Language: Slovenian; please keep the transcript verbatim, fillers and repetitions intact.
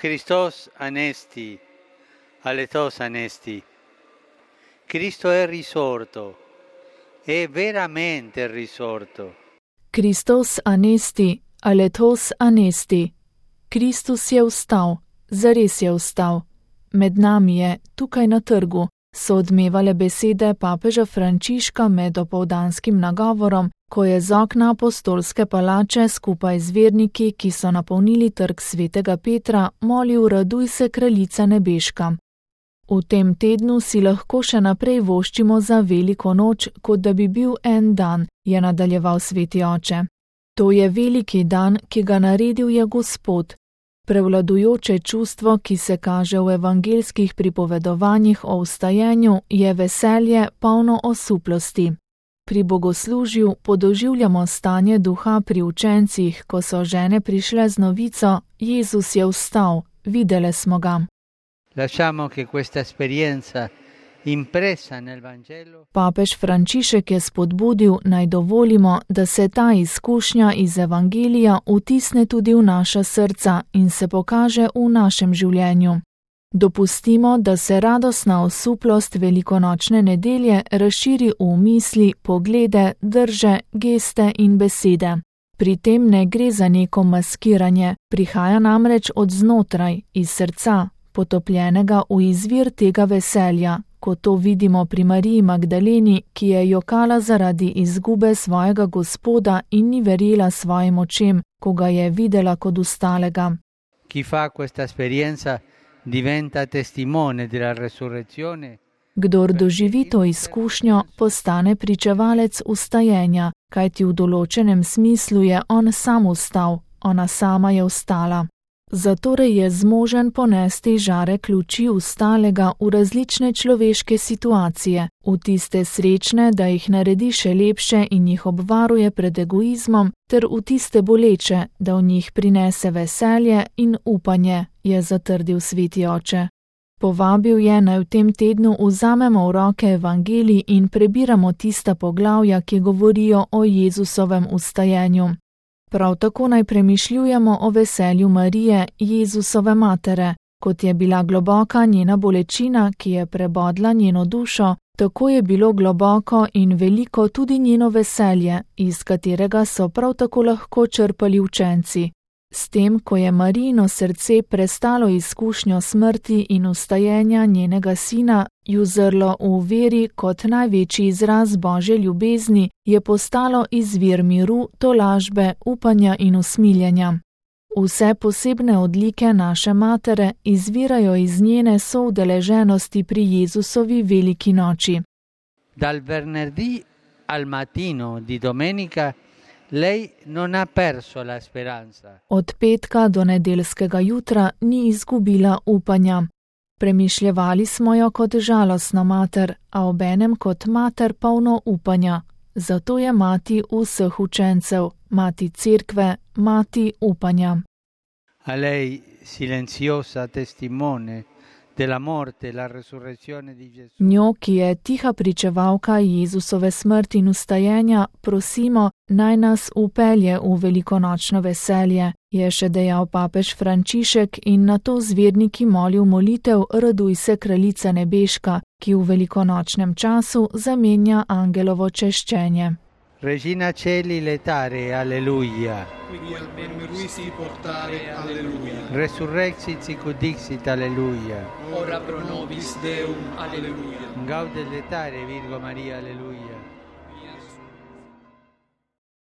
Christos anesti, aletos anesti. Cristo è risorto, è veramente risorto. Christos anesti, aletos anesti. Kristus je vstal, zares je vstal. Med nami je, tukaj na trgu, so odmevale besede papeža Frančiška med opoldanskim nagovorom, ko je z okna apostolske palače skupaj z verniki, ki so napolnili trg svetega Petra, molil raduj se kraljica nebeška. V tem tednu si lahko še naprej voščimo za veliko noč, kot da bi bil en dan, je nadaljeval sveti oče. To je veliki dan, ki ga naredil je Gospod. Prevladujoče čustvo, ki se kaže v evangelskih pripovedovanjih o vstajenju, je veselje, polno osuplosti. Pri bogoslužju podoživljamo stanje duha pri učencih, ko so žene prišle z novico: Jezus je vstal, videle smo ga. Lasciamo che questa esperienza impressa nel Vangelo. Papež Frančišek je spodbudil, naj dovolimo, da se ta izkušnja iz Evangelija vtisne tudi v naša srca in se pokaže v našem življenju. Dopustimo, da se radostna osuplost velikonočne nedelje razširi v misli, poglede, drže, geste in besede. Pri tem ne gre za neko maskiranje, prihaja namreč od znotraj, iz srca, potopljenega v izvir tega veselja, ko to vidimo pri Mariji Magdaleni, ki je jokala zaradi izgube svojega Gospoda in ni verjela svojim očem, ko ga je videla kot ostalega. Chi fa questa esperienza diventa testimone della resurrezione. Kdor doživi to izkušnjo, postane pričevalec vstajenja, kajti v določenem smislu je on sam vstal, ona sama je vstala. Zatorej je zmožen ponesti žarek luči vstalega v različne človeške situacije, v tiste srečne, da jih naredi še lepše in jih obvaruje pred egoizmom, ter v tiste boleče, da v njih prinese veselje in upanje, je zatrdil sveti oče. Povabil je, naj v tem tednu vzamemo v roke evangelij in prebiramo tista poglavja, ki govorijo o Jezusovem vstajenju. Prav tako naj premišljujemo o veselju Marije, Jezusove matere, kot je bila globoka njena bolečina, ki je prebodla njeno dušo, tako je bilo globoko in veliko tudi njeno veselje, iz katerega so prav tako lahko črpali učenci. S tem, ko je Marijino srce prestalo izkušnjo smrti in vstajenja njenega sina, ju zrlo v veri kot največji izraz Božje ljubezni, je postalo izvir miru, tolažbe, upanja in usmiljenja. Vse posebne odlike naše matere izvirajo iz njene soudeleženosti pri Jezusovi veliki noči. Dal venerdì al mattino di domenica lei non ha perso la speranza. Od petka do nedeljskega jutra ni izgubila upanja. Premišljevali smo jo kot žalostna mater, a obenem kot mater polno upanja. Zato je mati vseh učencev, mati cerkve, mati upanja. A lei, silenziosa testimone della morte e la resurrezione di Gesù. Njo, ki je tiha pričevalka Jezusove smrti in vstajenja, prosimo, naj nas upelje v velikonočno veselje, je še dejal papež Frančišek in nato z verniki molil molitev Raduj se kraljica nebeška, ki v velikonočnem času zamenja angelovo češčenje. Regina Celi letare, alleluia. Qui almeno ruisi portare, alleluia. Resurrexit sic ut dixit, alleluia. Ora pro nobis Deum, alleluia. Gaudet letare, Virgo Maria, alleluia.